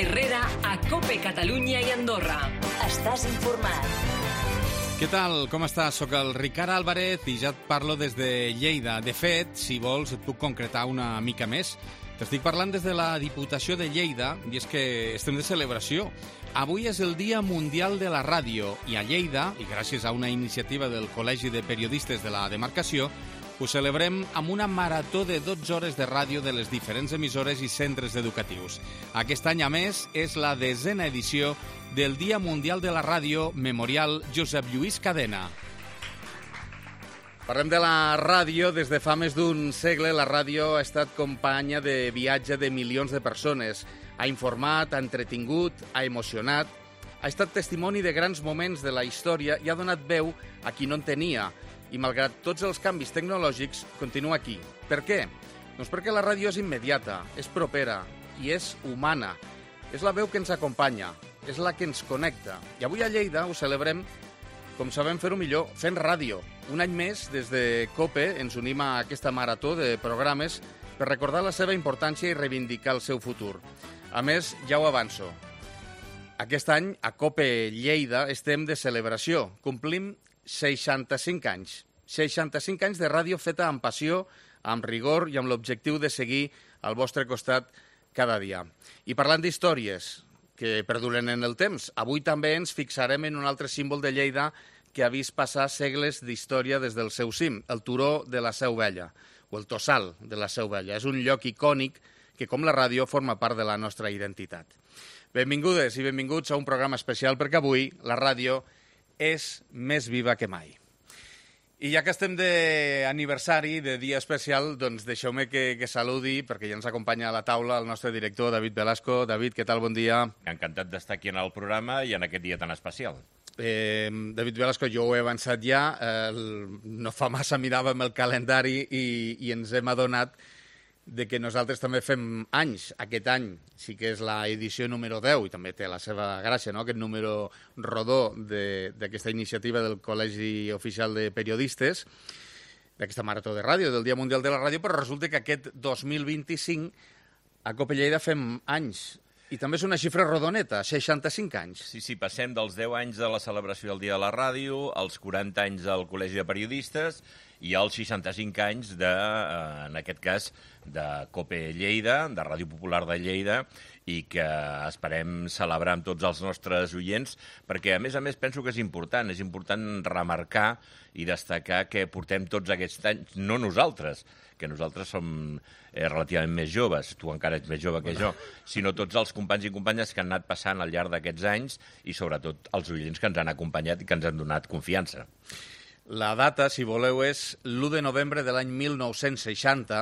Herrera a COPE Catalunya i Andorra. Estàs informat. Què tal? Com estàs? Soc el Ricard Álvarez i ja et parlo des de Lleida. De fet, si vols, et puc concretar una mica més. T'estic parlant des de la Diputació de Lleida i és que estem de celebració. Avui és el Dia Mundial de la Ràdio i a Lleida, i gràcies a una iniciativa del Col·legi de Periodistes de la demarcació, ho celebrem amb una marató de 12 hores de ràdio de les diferents emissores i centres educatius. Aquest any, a més, és la 10a edició del Dia Mundial de la Ràdio Memorial Josep Lluís Cadena. Parlem de la ràdio. Des de fa més d'un segle, la ràdio ha estat companya de viatge de milions de persones. Ha informat, ha entretingut, ha emocionat, ha estat testimoni de grans moments de la història i ha donat veu a qui no en tenia. I malgrat tots els canvis tecnològics, continua aquí. Per què? Doncs perquè la ràdio és immediata, és propera i és humana. És la veu que ens acompanya, és la que ens connecta. I avui a Lleida ho celebrem, com sabem fer-ho millor, fent ràdio. Un any més, des de COPE, ens unim a aquesta marató de programes per recordar la seva importància i reivindicar el seu futur. A més, ja ho avanço, aquest any, a COPE Lleida, estem de celebració. Complim 65 anys. 65 anys de ràdio feta amb passió, amb rigor i amb l'objectiu de seguir al vostre costat cada dia. I parlant d'històries que perduren en el temps, avui també ens fixarem en un altre símbol de Lleida que ha vist passar segles d'història des del seu cim, el turó de la Seu Vella, o el tossal de la Seu Vella. És un lloc icònic que, com la ràdio, forma part de la nostra identitat. Benvingudes i benvinguts a un programa especial perquè avui la ràdio és més viva que mai. I ja que estem d'aniversari, de dia especial, doncs deixeu-me que saludi, perquè ja ens acompanya a la taula el nostre director, David Velasco. David, què tal? Bon dia. Encantat d'estar aquí en el programa i en aquest dia tan especial. David Velasco, jo ho he avançat ja. No fa massa miràvem el calendari i ens hem adonat de que nosaltres també fem anys. Aquest any sí que és l'edició número 10 i també té la seva gràcia, no?, aquest número rodó d'aquesta iniciativa del Col·legi Oficial de Periodistes, d'aquesta marató de ràdio, del Dia Mundial de la Ràdio, però resulta que aquest 2025 a COPE Lleida fem anys. I també és una xifra rodoneta, 65 anys. Sí, passem dels 10 anys de la celebració del Dia de la Ràdio, als 40 anys del Col·legi de Periodistes i als 65 anys en aquest cas, de COPE Lleida, de Ràdio Popular de Lleida, i que esperem celebrar amb tots els nostres oients, perquè, a més, penso que és important remarcar i destacar que portem tots aquests anys, no nosaltres, que nosaltres som relativament més joves, tu encara ets més jove que jo, sinó tots els companys i companyes que han anat passant al llarg d'aquests anys i, sobretot, els oients que ens han acompanyat i que ens han donat confiança. La data, si voleu, és l'1 de novembre de l'any 1960.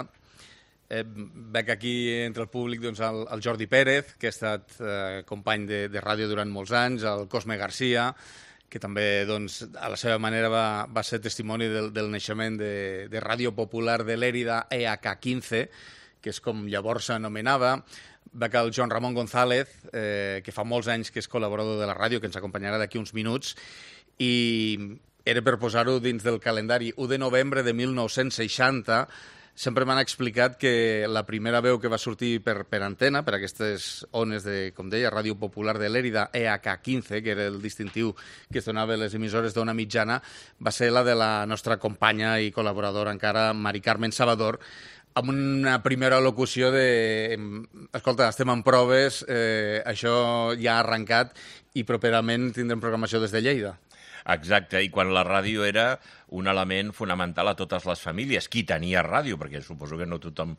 Veig aquí entre el públic doncs, el Jordi Pérez, que ha estat company de ràdio durant molts anys, el Cosme Garcia, que també doncs, a la seva manera va ser testimoni del naixement de Ràdio Popular de Lérida, EH15, que és com llavors s'anomenava. Veig el Joan Ramon González, que fa molts anys que és col·laborador de la ràdio, que ens acompanyarà d'aquí uns minuts, i era per posar-ho dins del calendari. 1 de novembre de 1960, sempre m'han explicat que la primera veu que va sortir per antena, per aquestes ones de, com deia, Ràdio Popular de Lérida, EH15, que era el distintiu que es donava a les emissores d'ona mitjana, va ser la de la nostra companya i col·laboradora encara, Mari Carmen Salvador, amb una primera locució de escolta, estem en proves, això ja ha arrencat i properament tindrem programació des de Lleida. Exacte, i quan la ràdio era un element fonamental a totes les famílies. Qui tenia ràdio? Perquè suposo que no tothom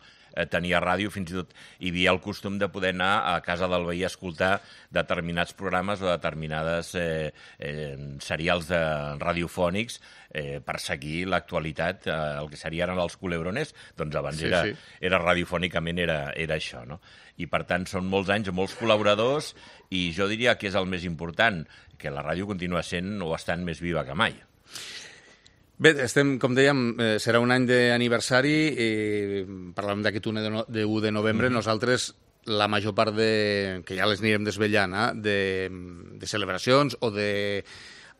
tenia ràdio, fins i tot hi havia el costum de poder anar a casa del veí a escoltar determinats programes o determinades serials radiofònics per seguir l'actualitat, el que serien els culebrones, doncs abans era radiofònicament era això, no? I per tant són molts anys, molts col·laboradors, i jo diria que és el més important, que la ràdio continua sent o estant més viva que mai. Bé, estem, com dèiem, serà un any d'aniversari, parlàvem d'aquest 1 de novembre, nosaltres la major part que ja les anirem desvetllant, de celebracions o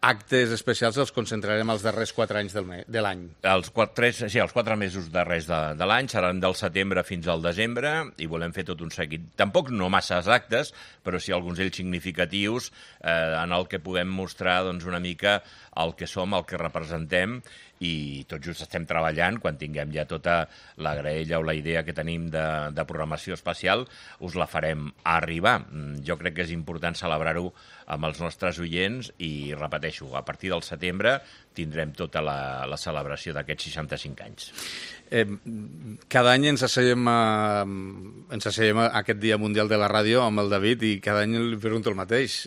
actes especials els concentrarem els darrers 4 anys de l'any. Els 4 mesos darrers de l'any seran del setembre fins al desembre i volem fer tot un seguit. Tampoc no massa exactes, però sí alguns d'ells significatius en el que puguem mostrar doncs, una mica el que som, el que representem, i tot just estem treballant. Quan tinguem ja tota la graella o la idea que tenim de programació especial, us la farem arribar. Jo crec que és important celebrar-ho amb els nostres oients i, repeteixo, a partir del setembre tindrem tota la celebració d'aquests 65 anys. Cada any ens asseiem a aquest Dia Mundial de la Ràdio amb el David i cada any li pregunto el mateix.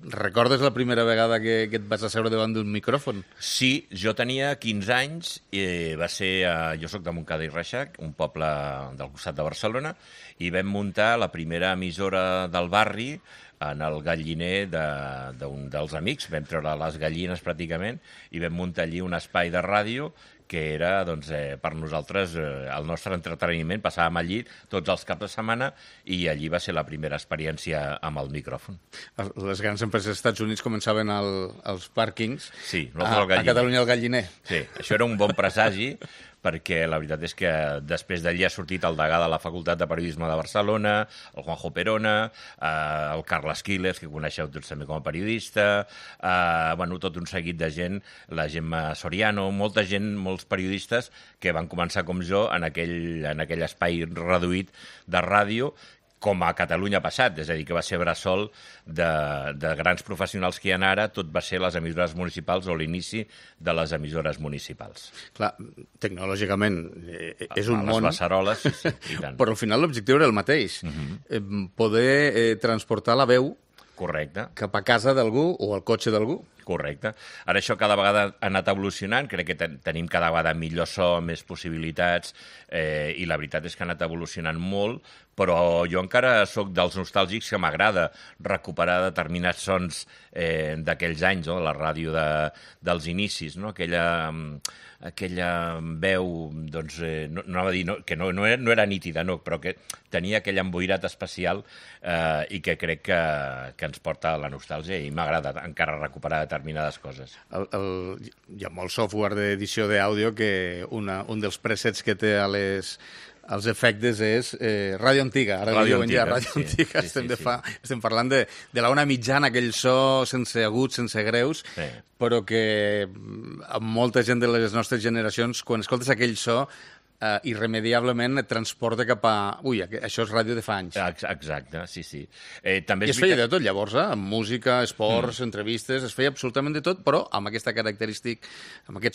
Recordes la primera vegada que et vas asseure davant d'un micròfon? Sí, jo tenia 15 anys, i va ser jo soc de Montcada i Reixac, un poble del costat de Barcelona, i vam muntar la primera emissora del barri en el galliner d'un dels amics. Vam treure les gallines pràcticament i vam muntar allí un espai de ràdio que era doncs, per nosaltres el nostre entreteniment. Passàvem allí tots els caps de setmana i allí va ser la primera experiència amb el micròfon. Les grans empreses dels Estats Units començaven als pàrquings. Sí, a Catalunya el galliner. Sí, això era un bon presagi, perquè la veritat és que després d'allí ha sortit el degà de la Facultat de Periodisme de Barcelona, el Juanjo Perona, el Carles Quiles, que coneixeu tots també com a periodista, tot un seguit de gent, la Gemma Soriano, molta gent, molts periodistes que van començar com jo en aquell espai reduït de ràdio, com a Catalunya ha passat, és a dir, que va ser bressol de grans professionals que hi ha ara, tot va ser les emissores municipals o l'inici de les emissores municipals. Clar, tecnològicament és un món... Les beceroles, sí, i tant. Però al final l'objectiu era el mateix, poder transportar la veu correcte, cap a casa d'algú o al cotxe d'algú. Correcte. Ara això cada vegada ha anat evolucionant, crec que tenim cada vegada millor so, més possibilitats, i la veritat és que ha anat evolucionant molt, però jo encara sóc dels nostàlgics que m'agrada recuperar determinats sons d'aquells anys, no? La ràdio dels inicis, no? Aquella veu, doncs, no anava a dir que no era nítida, no, però que tenia aquell emboirat especial i que crec que ens porta a la nostàlgia i m'agrada encara recuperar determinades coses. Hi ha molt software d'edició d'àudio que un dels presets que té als efectes és ràdio antiga. Ara ràdio diuen antiga, ja ràdio antiga. Estem parlant de la ona mitjana, aquell so sense aguts, sense greus, però que amb molta gent de les nostres generacions, quan escoltes aquell so, irremediablement et transporta cap a... Ui, això és ràdio de fa anys. Exacte, sí. També es feia de tot, llavors, amb música, esports, entrevistes, es feia absolutament de tot, però amb aquest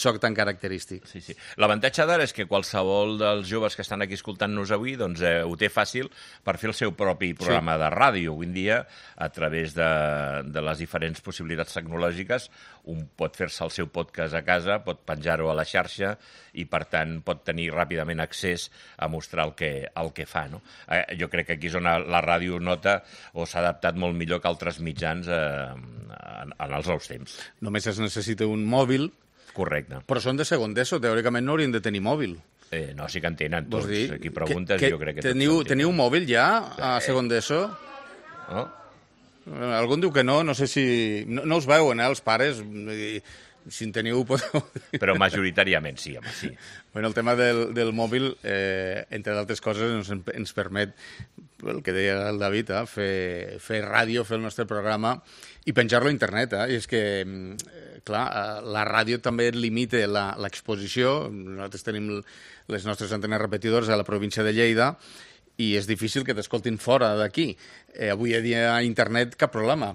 soc tan característic. Sí. L'avantatge d'ara és que qualsevol dels joves que estan aquí escoltant-nos avui doncs, ho té fàcil per fer el seu propi programa de ràdio. Avui en dia, a través de les diferents possibilitats tecnològiques, un pot fer-se el seu podcast a casa, pot penjar-ho a la xarxa i, per tant, pot tenir ràpidament accés a mostrar el que fa. No? Jo crec que aquí és on la ràdio nota o s'ha adaptat molt millor que altres mitjans en els nous temps. Només es necessita un mòbil. Correcte. Però són de segon d'ESO, teòricament no haurien de tenir mòbil. No, sí que en tenen tots. Aquí preguntes jo crec que teniu mòbil ja a segon d'ESO? No? Algú diu que no sé si... No us veuen, els pares... Si en teniu, podeu... Però majoritàriament sí, home, sí. Bueno, el tema del mòbil, entre d'altres coses, ens permet, el que deia el David, fer ràdio, fer el nostre programa i penjar-lo a internet. I és que, clar, la ràdio també limita l'exposició. Nosaltres tenim les nostres antenes repetidores a la província de Lleida i és difícil que t'escoltin fora d'aquí. Avui a dia a internet cap problema.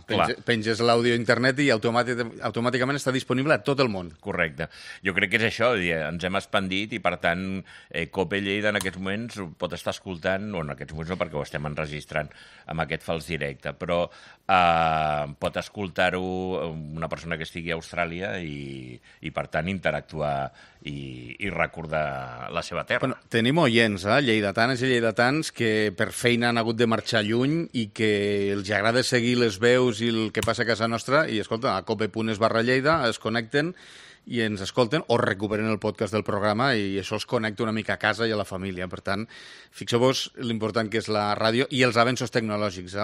Penges l'àudio a internet i automàticament està disponible a tot el món. Correcte. Jo crec que és això, ens hem expandit i per tant COPE Lleida en aquests moments pot estar escoltant, o en aquests moments no perquè ho estem enregistrant amb aquest fals directe, però pot escoltar-ho una persona que estigui a Austràlia i per tant interactuar i recordar la seva terra. Bueno, tenim oients, lleidatanes i lleidatans que per feina han hagut de marxar lluny i que els agrada seguir les veus i el que passa a casa nostra i, escolta, a cope.es/Lleida es connecten i ens escolten o recuperen el podcast del programa i això els connecta una mica a casa i a la família. Per tant, fixeu-vos l'important que és la ràdio i els avenços tecnològics.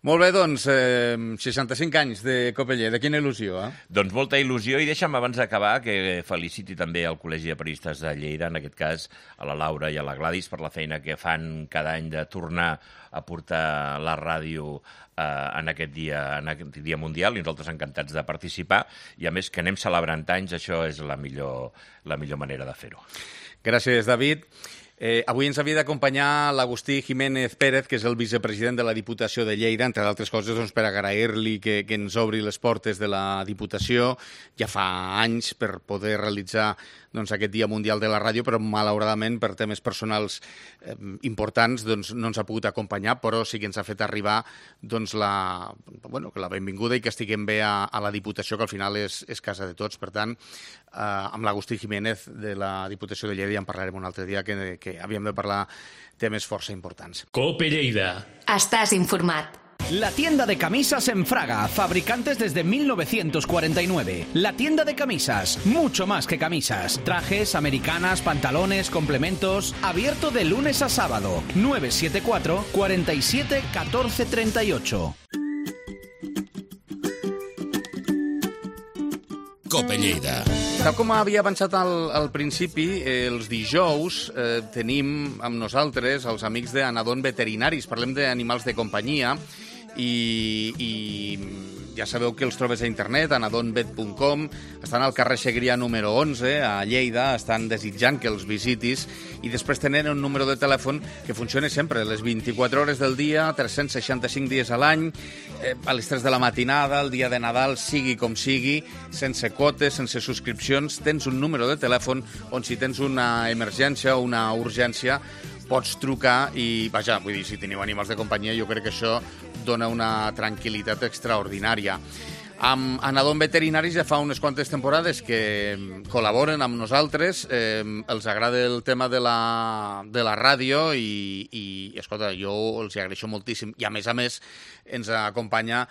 Molt bé, doncs, 65 anys de Copelleda, quina il·lusió, eh? Doncs molta il·lusió, i deixa'm abans d'acabar que feliciti també el Col·legi de Periodistes de Lleida, en aquest cas a la Laura i a la Gladys, per la feina que fan cada any de tornar a portar la ràdio en aquest dia mundial, i nosaltres encantats de participar, i a més que anem celebrant anys, això és la millor manera de fer-ho. Gràcies, David. Avui ens havia d'acompanyar l'Agustí Jiménez Pérez, que és el vicepresident de la Diputació de Lleida, entre d'altres coses doncs, per agrair-li que ens obri les portes de la Diputació ja fa anys per poder realitzar doncs, aquest Dia Mundial de la Ràdio, però malauradament per temes personals importants doncs, no ens ha pogut acompanyar, però sí que ens ha fet arribar doncs, la benvinguda i que estiguem bé a la Diputació, que al final és casa de tots. Per tant, amb l'Agustí Jiménez de la Diputació de Lleida ja en parlarem un altre dia, que havíem de parlar temes força importants. Cope Lleida. Estàs informat. La tienda de camisas en Fraga, fabricantes desde 1949. La tienda de camisas, mucho más que camisas. Trajes, americanas, pantalones, complementos. Abierto de lunes a sábado. 974 47 14 38. Cope Lleida. Tal com havia avançat al principi, els dijous tenim amb nosaltres els amics d'Anadon Veterinaris. Parlem d'animals de companyia i ja sabeu que els trobes a internet, anadonvet.com. Estan al carrer Segrià número 11, a Lleida, estan desitjant que els visitis, i després tenen un número de telèfon que funciona sempre, les 24 hores del dia, 365 dies a l'any, a les 3 de la matinada, el dia de Nadal, sigui com sigui, sense quotes, sense subscripcions. Tens un número de telèfon on si tens una emergència o una urgència pots trucar i, vaja, vull dir, si teniu animals de companyia, jo crec que això dona una tranquil·litat extraordinària. Amb Anadon Veterinaris ja fa unes quantes temporades que col·laboren amb nosaltres, els agrada el tema de la ràdio i escolta, jo els agraeixo moltíssim. I a més ens acompanya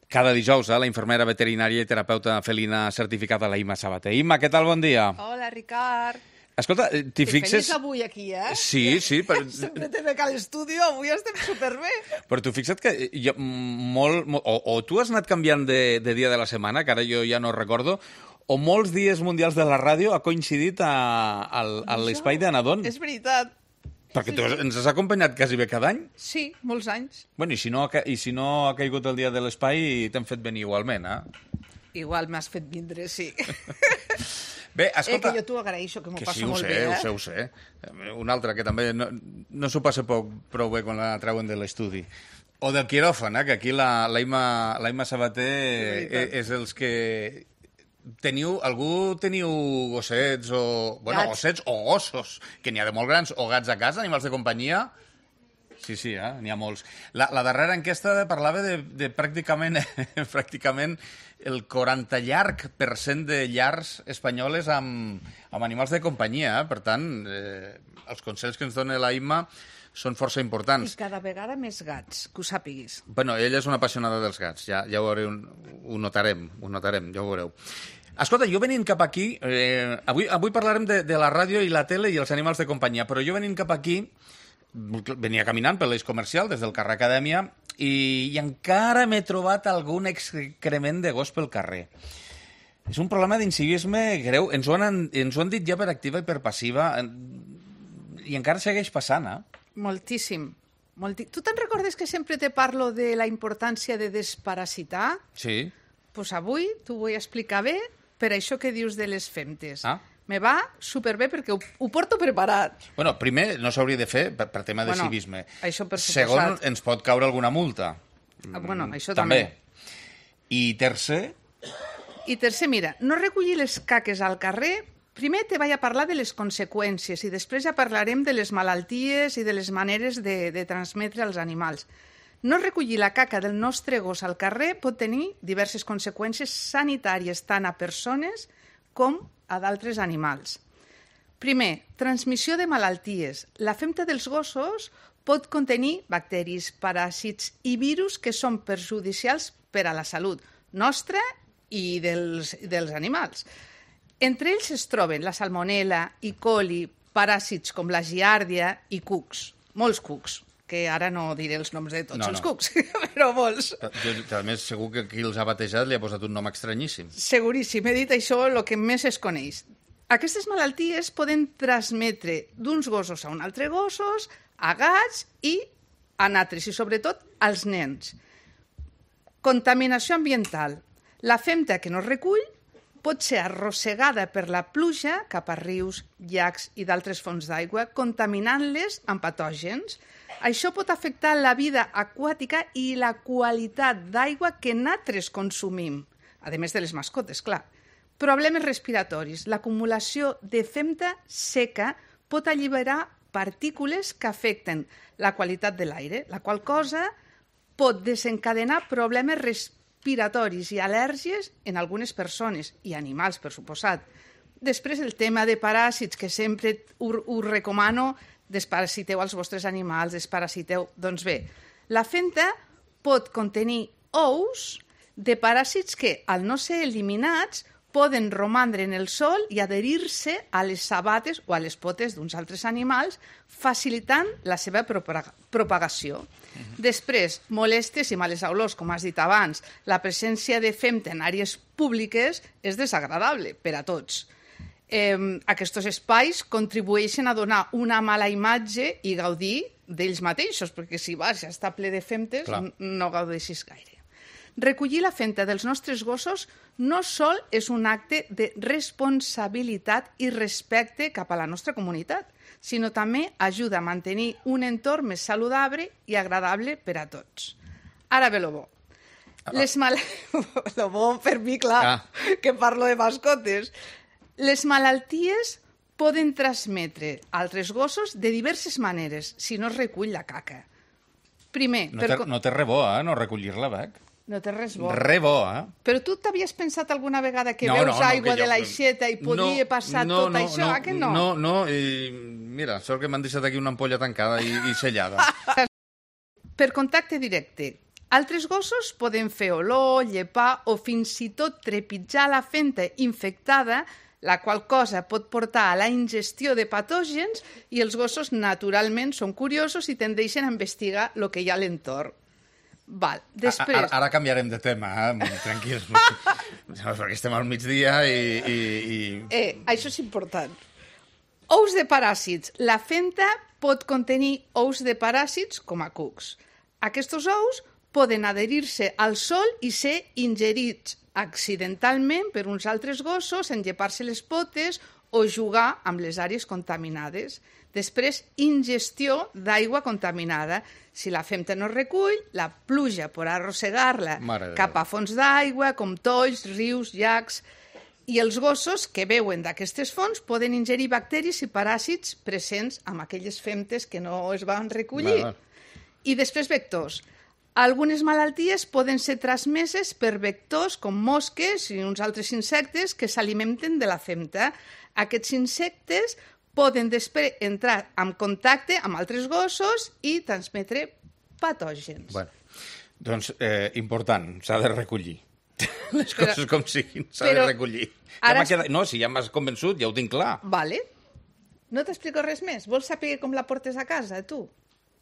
cada dijous la infermera veterinària i terapeuta felina certificada, la Imma Sabater. Imma, què tal? Bon dia. Hola, Ricard. Escolta, t'hi fixes... Feliç avui aquí, eh? Sí. Sempre te veig a l'estudi, avui estem superbé. Però tu fixa't que o tu has anat canviant de dia de la setmana, que ara jo ja no recordo, o molts dies mundials de la ràdio ha coincidit a l'espai d'Anadon. És veritat. Perquè tu ens has acompanyat quasi bé cada any. Sí, molts anys. Bueno, i si no ha caigut el dia de l'espai, t'hem fet venir igualment, eh? Igual m'has fet vindre, sí. Bé, escolta... que jo t'ho agraeixo, que m'ho passo molt bé, eh? Ho sé. Un altre que també no s'ho passa prou bé quan la treuen de l'estudi. O del quiròfan, que aquí la Imma Sabater és els que... Algú teniu gossets o... Bueno, gats. Gossets o gossos, que n'hi ha de molt grans, o gats a casa, animals de companyia... Sí, n'hi ha molts. La darrera enquesta parlava de pràcticament el 40 llarg% de llars espanyoles amb animals de companyia. Per tant, els consells que ens dona la Imma són força importants. I cada vegada més gats, que ho sàpiguis. Bueno, ella és una apassionada dels gats, ja ho veureu, ho notarem, ja ho veureu. Escolta, jo venint cap aquí, avui parlarem de la ràdio i la tele i els animals de companyia, però jo venint cap aquí venia caminant per l'eix comercial des del carrer Acadèmia i encara m'he trobat algun excrement de gos pel carrer. És un problema d'incivisme greu. Ens ho han dit ja per activa i per passiva i encara segueix passant, eh? Moltíssim. Tu te'n recordes que sempre te parlo de la importància de desparasitar? Sí. Doncs avui t'ho vull explicar bé per això que dius de les femtes. Ah. Me va superbé perquè ho porto preparat. Bueno, primer, no s'hauria de fer per tema de civisme. Això per suposat. Segon, ens pot caure alguna multa. Bueno, això també. I tercer, mira, no recollir les caques al carrer. Primer te vaig a parlar de les conseqüències i després ja parlarem de les malalties i de les maneres de transmetre als animals. No recollir la caca del nostre gos al carrer pot tenir diverses conseqüències sanitàries tant a persones com a d'altres animals. Primer, transmissió de malalties. La femta dels gossos pot contenir bacteris, paràsits i virus que són perjudicials per a la salut nostra i dels animals. Entre ells es troben la salmonella, E. coli, paràsits com la giàrdia i cucs, molts cucs. que ara no diré els noms de tots els cucs, però molts. A més, segur que qui els ha batejat li ha posat un nom estranyíssim. Seguríssim, he dit això el que més es coneix. Aquestes malalties poden transmetre d'uns gossos a un altre gossos, a gats i a altres, i sobretot als nens. Contaminació ambiental. La femta que no es recull pot ser arrossegada per la pluja cap a rius, llacs i d'altres fonts d'aigua, contaminant-les amb patògens. Això pot afectar la vida aquàtica i la qualitat d'aigua que nosaltres consumim, a més de les mascotes, clar. Problemes respiratoris. L'acumulació de femta seca pot alliberar partícules que afecten la qualitat de l'aire, la qual cosa pot desencadenar problemes respiratoris i al·lèrgies en algunes persones i animals, per suposat. Després, el tema de paràsits, que sempre us recomano, desparasiteu els vostres animals, desparasiteu. Doncs bé, la femta pot contenir ous de paràsits que, al no ser eliminats, poden romandre en el sol i adherir-se a les sabates o a les potes d'uns altres animals, facilitant la seva propagació. Després, molèsties i males olors, com has dit abans. La presència de femta en àrees públiques és desagradable per a tots. Aquests espais contribueixen a donar una mala imatge i gaudir d'ells mateixos, perquè si vas ja està ple de femtes, no gaudeixis gaire. Recollir la femta dels nostres gossos no sol és un acte de responsabilitat i respecte cap a la nostra comunitat, sinó també ajuda a mantenir un entorn més saludable i agradable per a tots. Ara ve lo bo. Lo bo per mi, clar, que parlo de mascotes. Les malalties poden transmetre altres gossos de diverses maneres si no es recull la caca. Primer... No té res bo, no recollir-la, Bec? No té res bo. Re bo, Però tu t'havies pensat alguna vegada que veus aigua de l'aixeta i podia passar tot això? Que no? No, i mira, sort que m'han deixat aquí una ampolla tancada i sellada. Per contacte directe. Altres gossos poden fer olor, llepar o fins i tot trepitjar la femta infectada, la qual cosa pot portar a la ingestió de patògens i els gossos naturalment són curiosos i tendeixen a investigar el que hi ha a l'entorn. Val, després... Ara canviarem de tema, tranquils, perquè estem al migdia i... Això és important. Ous de paràsits. La femta pot contenir ous de paràsits com a cucs. Aquests ous poden adherir-se al sol i ser ingerits accidentalment per uns altres gossos, enllepar-se les potes o jugar amb les àrees contaminades. Després, ingestió d'aigua contaminada. Si la femta no es recull, la pluja podrà arrossegar-la cap a fonts d'aigua, com tolls, rius, llacs... I els gossos que beuen d'aquestes fonts poden ingerir bacteris i paràsits presents amb aquelles femtes que no es van recollir. I després, vectors. Algunes malalties poden ser transmeses per vectors com mosques i uns altres insectes que s'alimenten de la femta. Aquests insectes poden després entrar en contacte amb altres gossos i transmetre patògens. Bueno, doncs, important, s'ha de recollir. Les coses com siguin, s'ha de recollir. No, si ja m'has convençut, ja ho tinc clar. Vale. No t'explico res més? Vols saber com la portes a casa, tu?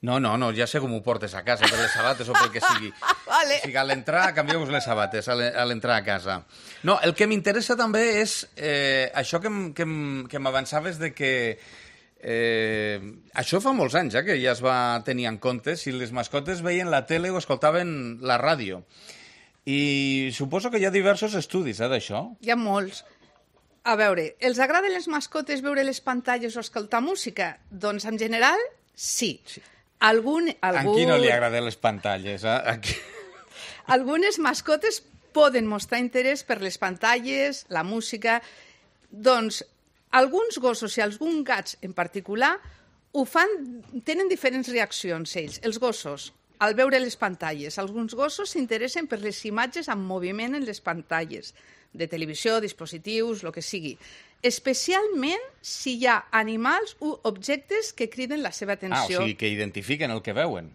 No, ja sé com ho portes a casa, per les sabates o pel que sigui. Vale. O sigui, a l'entrar, canvieu-vos les sabates, a l'entrar a casa. No, el que m'interessa també és això que m'avançaves de que... això fa molts anys, que ja es va tenir en compte si les mascotes veien la tele o escoltaven la ràdio. I suposo que hi ha diversos estudis d'això. Hi ha molts. A veure, els agraden les mascotes veure les pantalles o escoltar música? Doncs, en general, sí. A qui no li agraden les pantalles? Algunes mascotes poden mostrar interès per les pantalles, la música... Doncs, alguns gossos i alguns gats en particular ho fan, tenen diferents reaccions, ells. Els gossos, al veure les pantalles. Alguns gossos s'interessen per les imatges en moviment en les pantalles, de televisió, dispositius, el que sigui. Especialment si hi ha animals o objectes que criden la seva atenció. O sigui, que identifiquen el que veuen.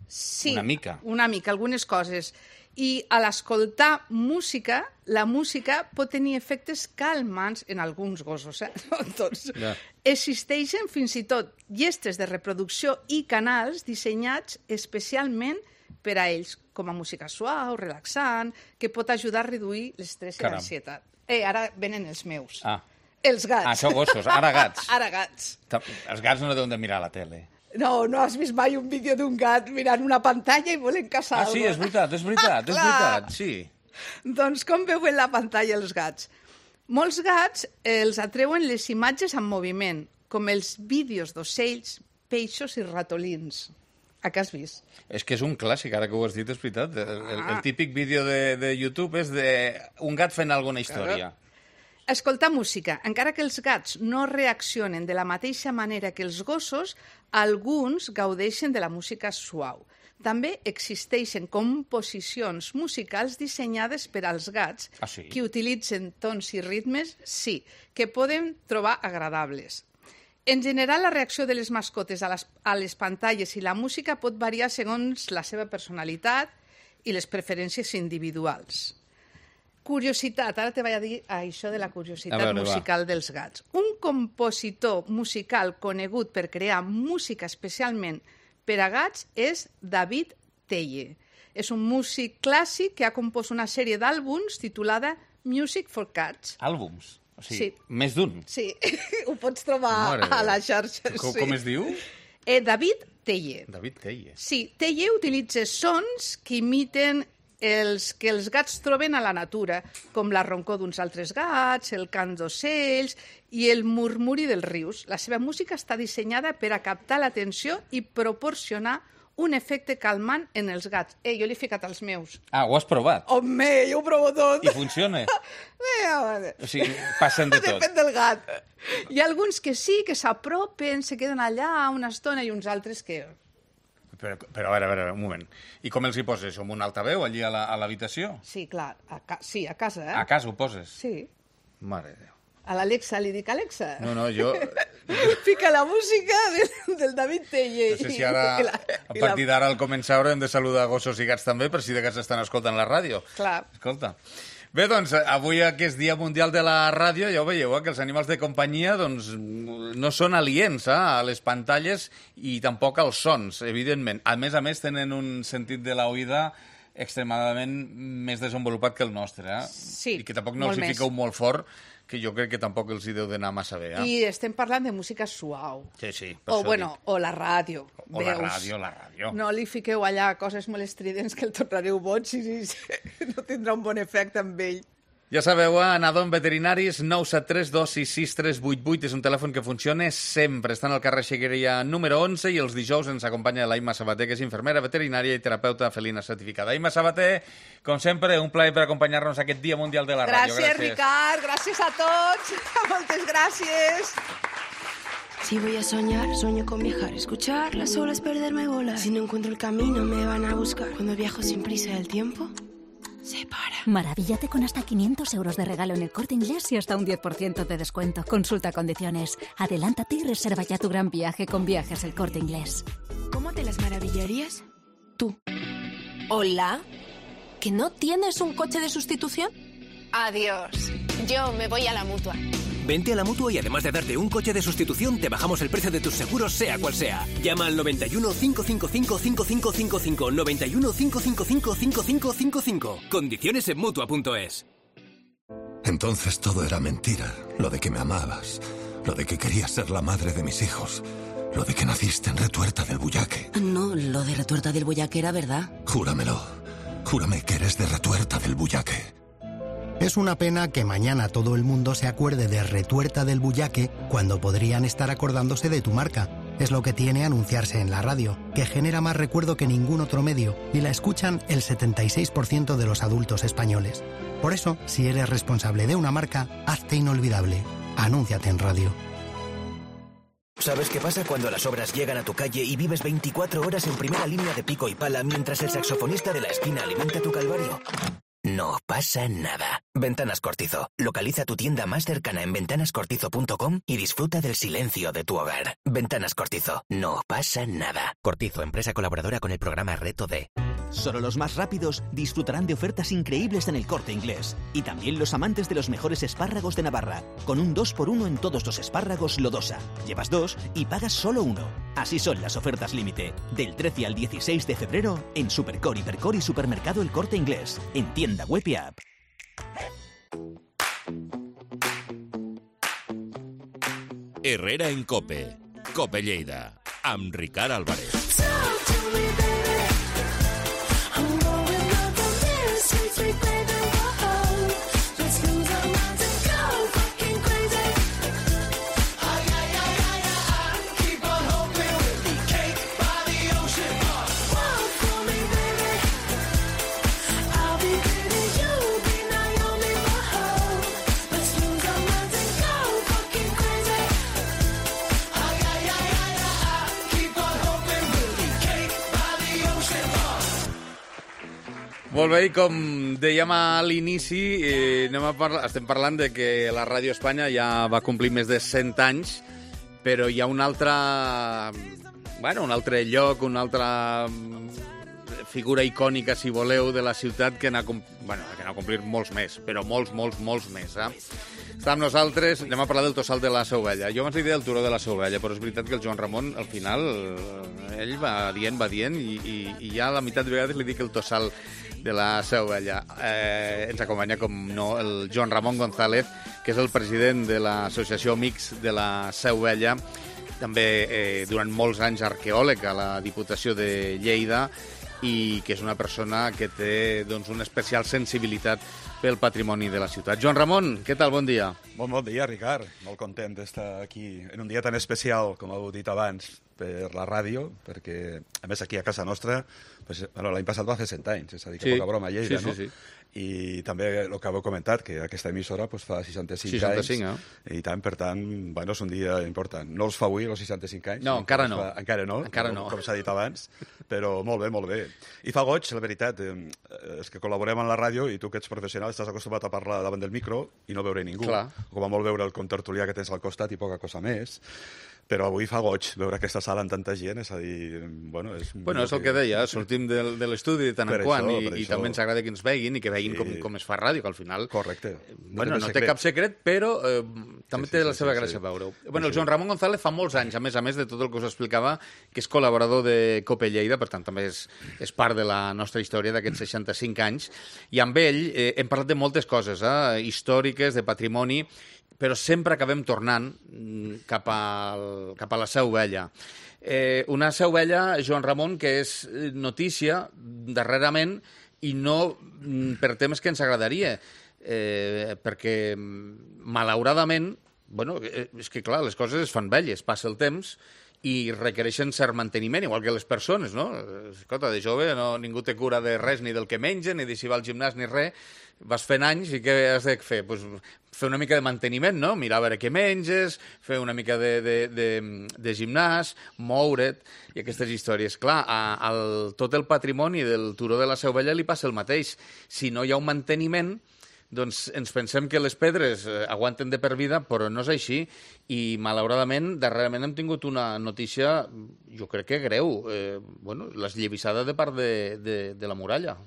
Sí, una mica. Algunes coses. I a l'escoltar música, la música pot tenir efectes calmants en alguns gossos, no tots. Existeixen fins i tot llestes de reproducció i canals dissenyats especialment per a ells, com a música suau, relaxant, que pot ajudar a reduir l'estrès i l'ansietat. Ara venen els meus. Els gats. Això gossos, ara gats. Ara gats. Els gats no deuen de mirar la tele. No has vist mai un vídeo d'un gat mirant una pantalla i volent caçar sí, és veritat, sí. Doncs com veuen la pantalla els gats? Molts gats els atreuen les imatges en moviment, com els vídeos d'ocells, peixos i ratolins. A què has vist? És que és un clàssic, ara que ho has dit, és veritat. El típic vídeo de YouTube és d'un gat fent alguna història. Escoltar música. Encara que els gats no reaccionen de la mateixa manera que els gossos, alguns gaudeixen de la música suau. També existeixen composicions musicals dissenyades per als gats que utilitzen tons i ritmes, que poden trobar agradables. En general, la reacció de les mascotes a les pantalles i la música pot variar segons la seva personalitat i les preferències individuals. Curiositat, ara te vaig a dir això de la curiositat musical dels gats. Un compositor musical conegut per crear música especialment per a gats és David Teye. És un músic clàssic que ha compost una sèrie d'àlbums titulada Music for Cats. Àlbums? O sigui, més d'un? Sí, ho pots trobar a la xarxa. Com es diu? David Teye. David Teye. Sí, Teye utilitza sons que imiten els que els gats troben a la natura, com la roncor d'uns altres gats, el cant d'ocells i el murmuri dels rius. La seva música està dissenyada per a captar l'atenció i proporcionar un efecte calmant en els gats. Jo l'he ficat als meus. Ho has provat? Home, jo ho provo tot. I funciona? O sigui, passen de tot. Depèn del gat. Hi ha alguns que sí, que s'apropen, se queden allà una estona, i uns altres que... Però a veure, un moment. I com els hi poses això? Amb un altaveu allí a l'habitació? Sí, clar. Sí, a casa, A casa ho poses? Sí. Mare de Déu. A l'Alexa li dic, Alexa... No, jo... Fica la música del David Teye. No sé si ara, a partir d'ara, al començar, haurem de saludar gossos i gats també, per si de cas estan escoltant la ràdio. Clar. Escolta. Bé, doncs, avui, aquest Dia Mundial de la Ràdio, ja ho veieu, que els animals de companyia doncs, no són aliens a les pantalles i tampoc als sons, evidentment. A més, tenen un sentit de l'oïda extremadament més desenvolupat que el nostre. Sí, i que tampoc no els hi fiqueu molt fort, que jo crec que tampoc els hi deu d'anar massa bé. I estem parlant de música suau. Sí. O la ràdio. O la ràdio. No li fiqueu allà coses molt estridents que el tornareu boig i no tindrà un bon efecte amb ell. Ja sabeu, Nadon Veterinaris, 973 266 388, és un telèfon que funciona sempre. Estan al carrer Xegueria número 11 i els dijous ens acompanya l'Aima Sabater, que és infermera veterinària i terapeuta felina certificada. Aima Sabater, com sempre, un plaer per acompanyar-nos aquest Dia Mundial de la Ràdio. Gràcies, Ricard, gràcies a tots. Moltes gràcies. Si voy a soñar, sueño con viajar, escuchar las olas, perderme, volar. Si no encuentro el camino, me van a buscar. Cuando viajo sin prisa, el tiempo se para. Maravíllate con hasta 500 euros de regalo en El Corte Inglés y hasta un 10% de descuento. Consulta condiciones. Adelántate y reserva ya tu gran viaje con Viajes El Corte Inglés. ¿Cómo te las maravillarías? Tú. Hola. ¿Que no tienes un coche de sustitución? Adiós. Yo me voy a la Mutua. Vente a la Mutua y además de darte un coche de sustitución, te bajamos el precio de tus seguros, sea cual sea. Llama al 91 555 5555. 91 555 5555. Condiciones en Mutua.es. Entonces todo era mentira. Lo de que me amabas. Lo de que querías ser la madre de mis hijos. Lo de que naciste en Retuerta del Bullaque. No, lo de Retuerta del Bullaque era verdad. Júramelo. Júrame que eres de Retuerta del Bullaque. Es una pena que mañana todo el mundo se acuerde de Retuerta del Bullaque cuando podrían estar acordándose de tu marca. Es lo que tiene anunciarse en la radio, que genera más recuerdo que ningún otro medio y la escuchan el 76% de los adultos españoles. Por eso, si eres responsable de una marca, hazte inolvidable. Anúnciate en radio. ¿Sabes qué pasa cuando las obras llegan a tu calle y vives 24 horas en primera línea de pico y pala mientras el saxofonista de la esquina alimenta tu calvario? No pasa nada. Ventanas Cortizo. Localiza tu tienda más cercana en ventanascortizo.com y disfruta del silencio de tu hogar. Ventanas Cortizo. No pasa nada. Cortizo, empresa colaboradora con el programa Reto D. Solo los más rápidos disfrutarán de ofertas increíbles en el Corte Inglés. Y también los amantes de los mejores espárragos de Navarra, con un 2x1 en todos los espárragos Lodosa. Llevas 2 y pagas solo 1. Así son las ofertas límite. Del 13 al 16 de febrero en Supercor, Hipercor y Supermercado El Corte Inglés. En tienda web y app. Herrera en COPE. COPE Lleida. Amb Ricard Álvarez. Molt bé, i com dèiem a l'inici, estem parlant de que la Ràdio Espanya ja va complir més de 100 anys, però hi ha un altre lloc, una altra figura icònica, si voleu, de la ciutat que n'ha complit molts més, però molts més. Està amb nosaltres, anem a parlar del Tossal de la Seu Vella. Jo abans li deia el Turó de la Seu Vella, però és veritat que el Joan Ramon, al final, ell va dient, i ja a la meitat de vegades li dic el Tossal de la Seu Vella. Ens acompanya, com no, el Joan Ramon González, que és el president de l'Associació Amics de la Seu Vella, també durant molts anys arqueòleg a la Diputació de Lleida, i que és una persona que té una especial sensibilitat pel patrimoni de la ciutat. Joan Ramon, què tal? Bon dia. Bon dia, Ricard. Molt content d'estar aquí en un dia tan especial, com heu dit abans, per la ràdio, perquè, a més, aquí a casa nostra, l'any passat va fer 100 anys, és a dir, que poca broma a Lleida, no? I també el que heu comentat, que aquesta emissora fa 65 anys, i tant, per tant, és un dia important. No els fa avui, els 65 anys? No, encara no. Encara no, com s'ha dit abans, però molt bé. I fa goig, la veritat, és que col·laborem en la ràdio i tu, que ets professional, estàs acostumat a parlar davant del micro i no veure ningú. Com a molt veure el contertulià que tens al costat i poca cosa més. Però avui fa goig veure aquesta sala amb tanta gent, és a dir... és el que deia, sortim de l'estudi de tant en quant i també ens agrada que ens veguin i que veguin com es fa ràdio, que al final... Correcte. No té cap secret, però també té la seva gràcia veure-ho. El Joan Ramon González fa molts anys, a més de tot el que us explicava, que és col·laborador de COPE Lleida, per tant també és part de la nostra història d'aquests 65 anys, i amb ell hem parlat de moltes coses, històriques, de patrimoni, però sempre acabem tornant cap a la Seu Vella. Una Seu Vella, Joan Ramon, que és notícia darrerament i no per temes que ens agradaria, perquè malauradament, és que clar, les coses es fan velles, passa el temps i requereixen cert manteniment, igual que les persones, no? Escolta, de jove ningú té cura de res, ni del que menja, ni de si va al gimnàs, ni res. Vas fent anys i què has de fer? Fer una mica de manteniment, no? Mirar a veure què menges, fer una mica de gimnàs, moure't, i aquestes històries. Clar, tot el patrimoni del Turó de la Seu Vella li passa el mateix. Si no hi ha un manteniment, doncs ens pensem que les pedres aguanten de per vida, però no és així, i malauradament, darrerament hem tingut una notícia, jo crec que greu, l'esllavissada de part de la muralla.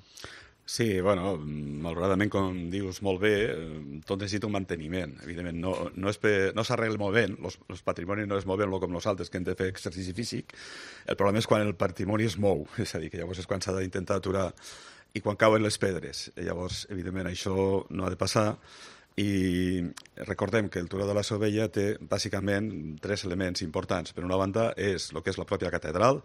Sí, malauradament, com dius molt bé, tot necessita un manteniment. Evidentment, no s'arregla movent, els patrimonis no es mouen com nosaltres, que hem de fer exercici físic. El problema és quan el patrimoni es mou, és a dir, que llavors és quan s'ha d'intentar aturar i quan cauen les pedres. Llavors, evidentment, això no ha de passar. I recordem que el Turó de la Seu Vella té, bàsicament, 3 elements importants. Per una banda, és el que és la pròpia catedral,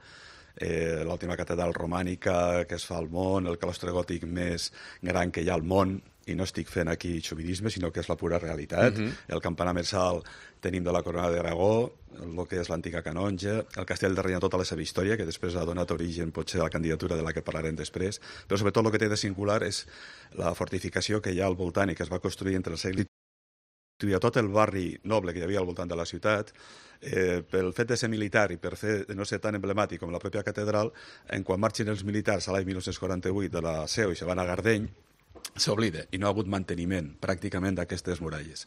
l'última catedral romànica que es fa al món, el claustre gòtic més gran que hi ha al món, i no estic fent aquí xovinisme, sinó que és la pura realitat. El campanar més alt tenim de la Corona d'Aragó, el que és l'antiga canonja, el castell de Reina, tota la seva història, que després ha donat origen potser a la candidatura de la que parlarem després, però sobretot el que té de singular és la fortificació que hi ha al voltant i que es va construir entre el segle i a tot el barri noble que hi havia al voltant de la ciutat, pel fet de ser militar i per fer de no ser tan emblemàtic com la pròpia catedral, quan marxin els militars a l'any 1948 de la Seu i se van a Gardeny, s'oblida i no ha hagut manteniment pràcticament d'aquestes muralles.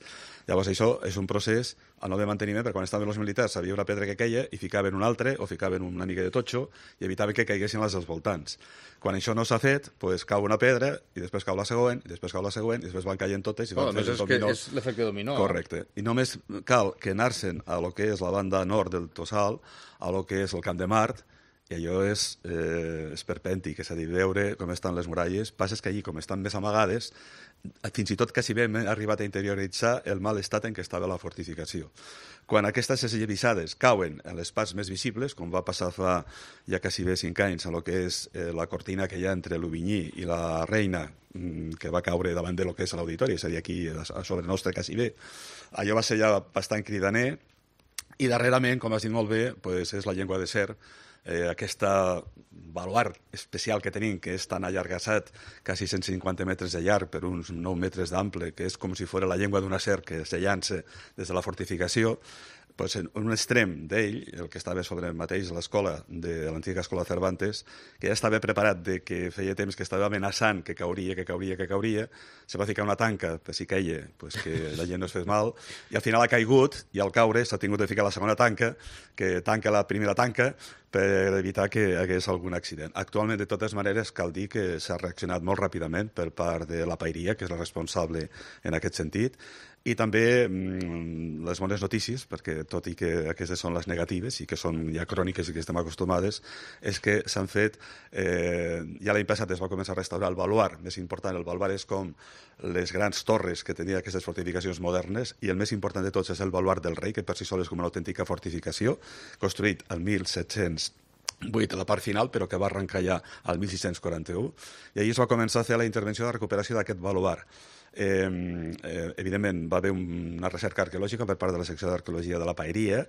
Llavors això és un procés al no de manteniment, perquè quan estaven els militars havia una pedra que queia i ficaven un altre o ficaven una mica de totxo i evitaven que caiguessin les dels voltants. Quan això no s'ha fet, doncs cau una pedra i després cau la següent, i després cau la següent, i després van caient totes i van fent el dominó. És l'efecte dominó. Correcte. I només cal que anar-se'n a lo que és la banda nord del Tossal, a lo que és el Camp de Mart, i allò és esperpèntic, és a dir, veure com estan les muralles. Passa que allí, com estan més amagades, fins i tot quasi bé hem arribat a interioritzar el mal estat en què estava la fortificació. Quan aquestes esllavissades cauen en les parts més visibles, com va passar fa ja quasi bé 5 anys, a lo que és la cortina que hi ha entre l'Ubinyí i la Reina, que va caure davant de lo que és l'auditori, és a dir, aquí a sobre nostre quasi bé, allò va ser ja bastant cridaner, i darrerament, com has dit molt bé, doncs és la llengua de serp, aquesta baluart especial que tenim, que és tan allargassat, quasi 150 metres de llarg per uns 9 metres d'ample, que és com si fos la llengua d'una serp que se llança des de la fortificació, doncs en un extrem d'ell, el que estava sobre mateix l'escola de l'antiga escola Cervantes, que ja estava preparat de que feia temps que estava amenaçant que cauria, se va ficar una tanca per si caia, pues que la gent no es fes mal, i al final ha caigut, i al caure s'ha tingut de ficar la segona tanca, que tanca la primera tanca, per evitar que hi hagués algun accident. Actualment, de totes maneres, cal dir que s'ha reaccionat molt ràpidament per part de la Paeria, que és la responsable en aquest sentit, i també les bones notícies, perquè tot i que aquestes són les negatives i que són ja cròniques i que estem acostumades, és que s'han fet, ja l'any passat es va començar a restaurar el baluart, més important, el baluart és com les grans torres que tenia aquestes fortificacions modernes, i el més important de tots és el baluart del rei, que per si sol és com una autèntica fortificació, construït el 1708 a la part final, però que va arrencar ja al 1641, i allí es va començar a fer la intervenció de recuperació d'aquest baluart. Evidentment va haver una recerca arqueològica per part de la secció d'arqueologia de la Paeria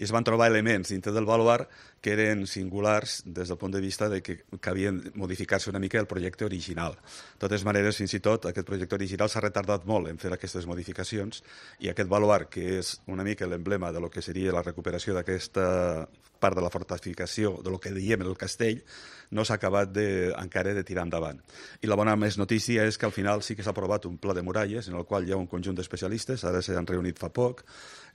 i es van trobar elements dintre del baluart que eren singulars des del punt de vista de que havien modificar-se una mica el projecte original. De totes maneres, fins i tot, aquest projecte original s'ha retardat molt en fer aquestes modificacions i aquest baluart, que és una mica l'emblema de lo que seria la recuperació d'aquesta part de la fortificació, de lo que diem el castell, no s'ha acabat encara de tirar endavant. I la bona més notícia és que al final sí que s'ha aprovat un pla de muralles en el qual hi ha un conjunt d'especialistes, ara s'han reunit fa poc,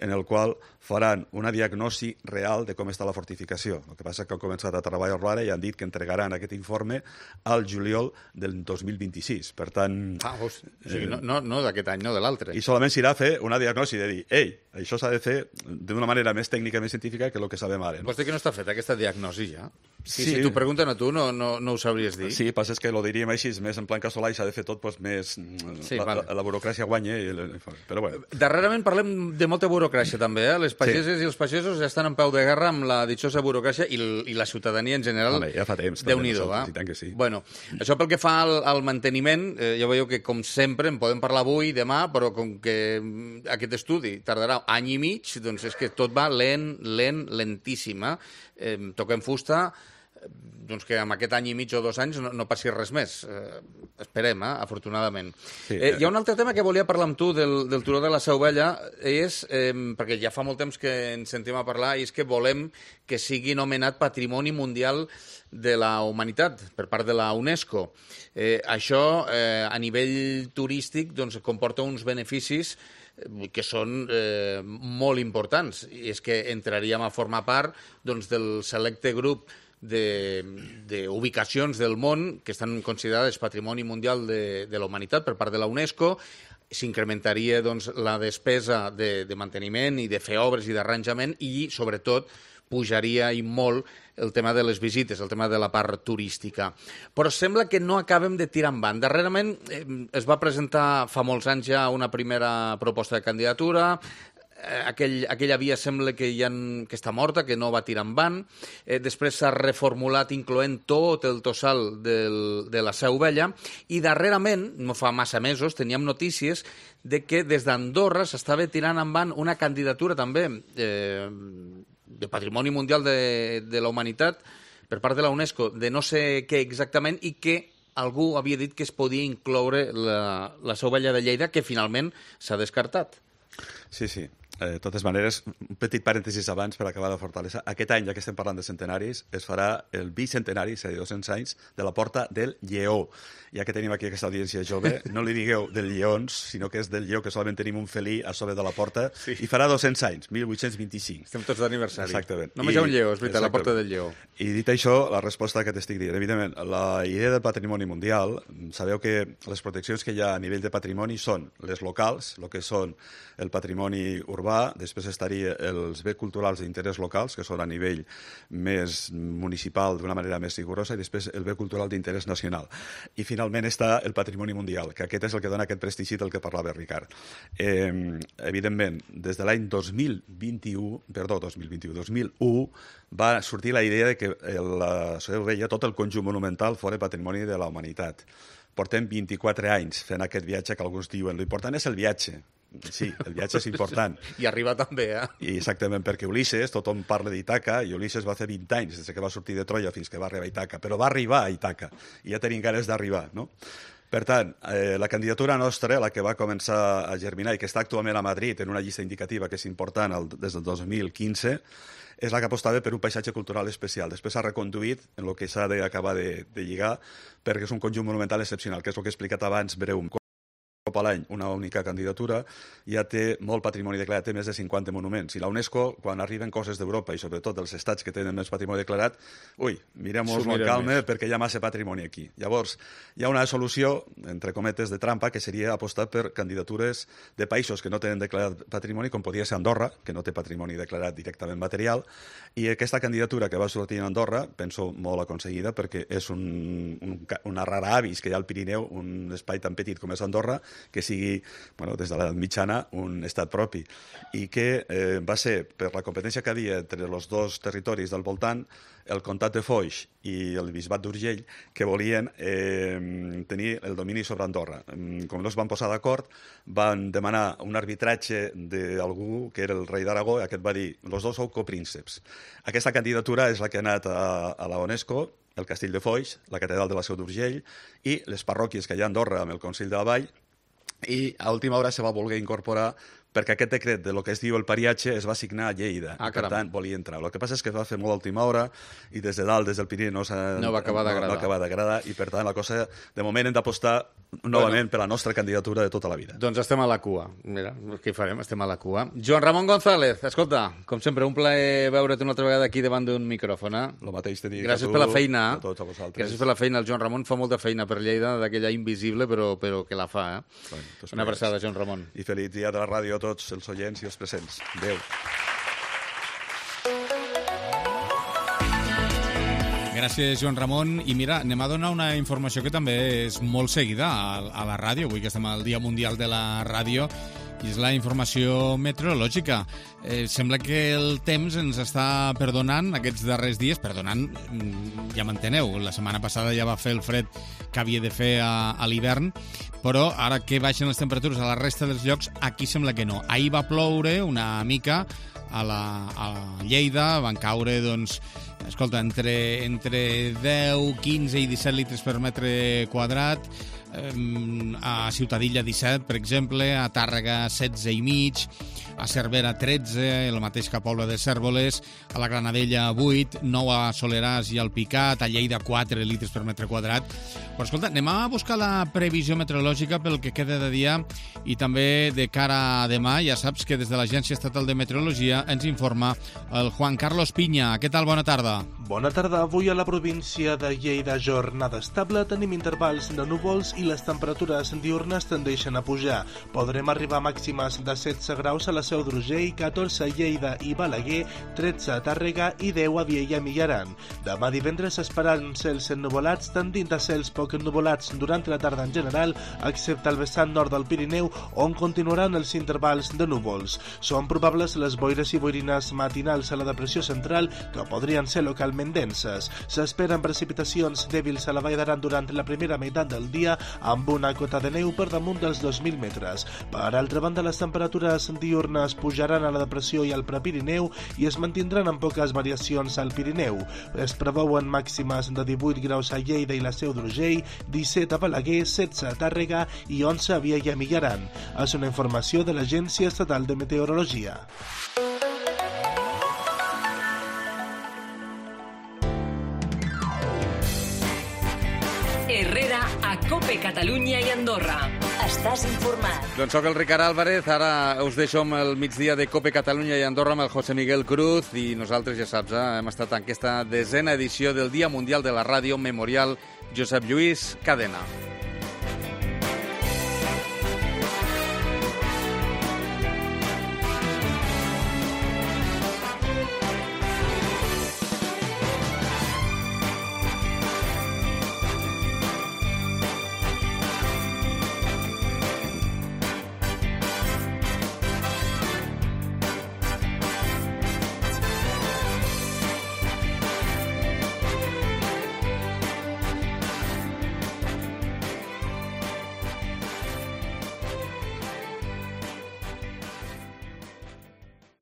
en el qual faran una diagnosi real de com està la fortificació. El que passa és que han començat a treballar-lo ara i han dit que entregaran aquest informe al juliol del 2026. Per tant... o sigui, no d'aquest any, no de l'altre. I solament s'irà a fer una diagnosi de dir, ei, això s'ha de fer d'una manera més tècnica, més científica que el que sabem ara. Vols dir que no està feta aquesta diagnosi ja? Si t'ho pregunten a tu, no ho sabries dir? Sí, passa que ho diríem així, més en plan casolà i s'ha de fer tot més... La burocràcia guanya, però bueno. Darrerament parlem de molta burocràcia també, les pageses i els pagesos ja estan en peu de guerra amb la ditxosa burocràcia i la ciutadania en general. Ja fa temps. Déu-n'hi-do, va? I tant que sí. Bueno, això pel que fa al manteniment, ja veieu que com sempre en podem parlar avui, demà, però com que aquest estudi tardarà any i mig, doncs és que tot va lentíssim. Toquem fusta, doncs que amb aquest any i mig o 2 anys no passi res més. Esperem, afortunadament. Sí, hi ha un altre tema que volia parlar amb tu del turó de la Seu Vella, perquè ja fa molt temps que ens sentim a parlar, i és que volem que sigui nomenat Patrimoni Mundial de la Humanitat per part de la UNESCO. Això, a nivell turístic, doncs, comporta uns beneficis que són molt importants. I és que entraríem a formar part del selecte grup d'ubicacions del món que estan considerades Patrimoni Mundial de la Humanitat per part de la UNESCO. S'incrementaria la despesa de manteniment i de fer obres i d'arranjament i, sobretot, pujaria i molt el tema de les visites, el tema de la part turística. Però sembla que no acabem de tirar endavant. Darrerament es va presentar fa molts anys ja una primera proposta de candidatura. Aquella via sembla que està morta, que no va tirar endavant. Després s'ha reformulat incloent tot el tossal de la Seu Vella i darrerament, no fa massa mesos, teníem notícies de que des d'Andorra s'estava tirant endavant una candidatura també de Patrimoni Mundial de la Humanitat per part de la UNESCO, de no sé què exactament, i que algú havia dit que es podia incloure la Seu Vella de Lleida, que finalment s'ha descartat. Sí. De totes maneres, un petit parèntesis abans per acabar la fortalesa. Aquest any, ja que estem parlant de centenaris, es farà el bicentenari, és a dir, 200 anys, de la Porta del Lleó. Ja que tenim aquí aquesta audiència jove, no li digueu del lleons, sinó que és del lleó, que solament tenim un felí a sobre de la porta, i farà 200 anys, 1825. Estem tots d'aniversari. Exactament. Només hi ha un lleó, és veritat, la Porta del Lleó. I dit això, la resposta que t'estic dient. Evidentment, la idea del patrimoni mundial, sabeu que les proteccions que hi ha a nivell de patrimoni són les locals, el que són el patrimoni urbà, després estaria els béns culturals d'interès locals, que són a nivell més municipal d'una manera més rigorosa, i després el bé cultural d'interès nacional. I finalment està el patrimoni mundial, que aquest és el que dona aquest prestigi del que parlava Ricard. Evidentment, des de l'any 2001 va sortir la idea de que la Seu Vella, tot el conjunt monumental, fora patrimoni de la humanitat. Portem 24 anys fent aquest viatge que alguns diuen l'important és el viatge. Sí, el viatge és important. I arribar també, I exactament, perquè Ulisses, tothom parla d'Ítaca, i Ulisses va fer 20 anys des que va sortir de Troia fins que va arribar a Ítaca, però va arribar a Ítaca, i ja tenim ganes d'arribar, no? Per tant, la candidatura nostra, la que va començar a germinar i que està actualment a Madrid en una llista indicativa que és important des del 2015, és la que apostava per un paisatge cultural especial. Després s'ha reconduït en el que s'ha d'acabar de lligar, perquè és un conjunt monumental excepcional, que és el que he explicat abans breument. A l'any una única candidatura, ja té molt patrimoni declarat, té més de 50 monuments. I la UNESCO, quan arriben coses d'Europa, i sobretot dels estats que tenen més patrimoni declarat, mirem-nos amb calma perquè hi ha massa patrimoni aquí. Llavors, hi ha una solució, entre cometes, de trampa, que seria apostar per candidatures de països que no tenen declarat patrimoni, com podria ser Andorra, que no té patrimoni declarat directament material, i aquesta candidatura que va sortir a Andorra, penso molt aconseguida, perquè és una rara avis que hi ha al Pirineu, un espai tan petit com és Andorra, que sigui, des de l'edat mitjana, un estat propi. I que va ser, per la competència que havia entre els dos territoris del voltant, el comtat de Foix i el bisbat d'Urgell, que volien tenir el domini sobre Andorra. Com no es van posar d'acord, van demanar un arbitratge d'algú que era el rei d'Aragó, i aquest va dir, los dos sou coprínceps. Aquesta candidatura és la que ha anat a la UNESCO, el castell de Foix, la catedral de la Seu d'Urgell i les parròquies que hi ha a Andorra amb el Consell de la Vall, i a última hora se va voler incorporar perquè aquest decret de lo que es diu el pariatge es va signar a Lleida. Per tant, volia entrar. El que passa és que es va fer molt a última hora i des de dalt, des del Pirineu, no va acabar d'agradar i, per tant, la cosa, de moment, hem d'apostar novament per la nostra candidatura de tota la vida. Doncs estem a la cua. Mira, què hi farem? Estem a la cua. Joan Ramon González, escolta, com sempre, un plaer veure't una altra vegada aquí davant d'un micròfon. El mateix te dic a tu, gràcies per la feina. A tots a vosaltres. Gràcies per la feina. El Joan Ramon fa molta feina per Lleida, d'aquella invisible, però que la fa. Una abraçada, Joan Ramon. I feliç dia de la ràdio a tots els oients i els presents. Adéu. Gràcies, Joan Ramon. I mira, anem a donar una informació que també és molt seguida a la ràdio, avui que estem al Dia Mundial de la Ràdio, i és la informació meteorològica. Sembla que el temps ens està perdonant aquests darrers dies. Perdonant, ja m'enteneu, la setmana passada ja va fer el fred que havia de fer a l'hivern, però ara que baixen les temperatures a la resta dels llocs, aquí sembla que no. Ahir va ploure una mica a Lleida, van caure, doncs, escolta, entre 10, 15 i 17 litres per metre quadrat, a Ciutadilla 17, per exemple, a Tàrrega 16,5, a Cervera 13, el mateix que a Pobla de Cérvoles, a la Granadella 8, 9 a Soleràs i al Picat, a Lleida 4 litres per metre quadrat. Però escolta, anem a buscar la previsió meteorològica pel que queda de dia i també de cara a demà. Ja saps que des de l'Agència Estatal de Meteorologia ens informa el Juan Carlos Piña. Què tal? Bona tarda. Bona tarda. Avui a la província de Lleida, jornada estable, tenim intervals de núvols i les temperatures diurnes tendeixen a pujar. Podrem arribar a màximes de 16 graus a la Seu d'Urgell, 14 a Lleida i Balaguer, 13 a Tàrrega i 10 a Viella i Millaran. Demà divendres esperaran cels ennuvolats, tendint a cels poc ennuvolats durant la tarda en general, excepte al vessant nord del Pirineu, on continuaran els intervals de núvols. Són probables les boires i boirines matinals a la depressió central, que podrien ser localment denses. S'esperen precipitacions dèbils a la Vall d'Aran durant la primera meitat del dia, amb una cota de neu per damunt dels 2.000 metres. Per altra banda, les temperatures diurnes pujaran a la depressió i al Prepirineu i es mantindran amb poques variacions al Pirineu. Es preveuen màximes de 18 graus a Lleida i la Seu d'Urgell, 17 a Balaguer, 16 a Tàrrega i 11 a Vielha i Millaran. És una informació de l'Agència Estatal de Meteorologia. Herrera a COPE Catalunya i Andorra. Estàs informat. Doncs soc el Ricard Álvarez, ara us deixo amb el migdia de COPE Catalunya i Andorra amb el José Miguel Cruz i nosaltres, ja saps, hem estat en aquesta 10a edició del Dia Mundial de la Ràdio Memorial Josep Lluís Cadena.